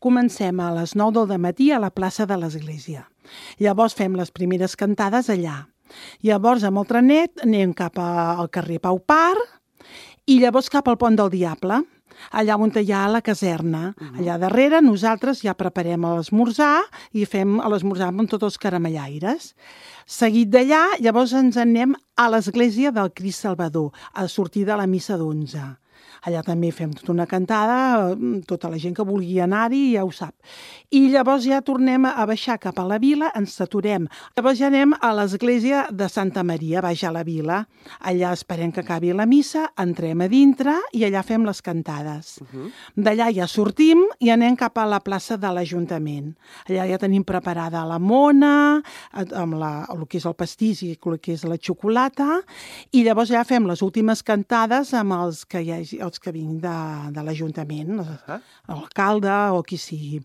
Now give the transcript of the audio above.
Comencem a les 9 del matí a la plaça de l'Església. Llavors fem les primeres cantades allà. Llavors amb el trenet anem cap al carrer Pau Par i llavors cap al Pont del Diable, allà on hi ha la caserna. Allà darrere nosaltres ja preparem l'esmorzar i fem l'esmorzar amb tots els caramellaires. Seguit d'allà, llavors ens anem a l'església del Crist Salvador, a sortir de la missa d'11. Allà també fem tota una cantada, tota la gent que vulgui anar-hi ja ho sap. I llavors ja tornem a baixar cap a la vila, ens saturem. Llavors ja anem a l'església de Santa Maria, baix a la vila. Allà esperem que acabi la missa, entrem a dintre i allà fem les cantades. D'allà ja sortim i anem cap a la plaça de l'Ajuntament. Allà ja tenim preparada la mona, amb el que és el pastís i el que és la xocolata, i llavors ja fem les últimes cantades amb els que vinc de l'Ajuntament, l'alcalde o qui sigui.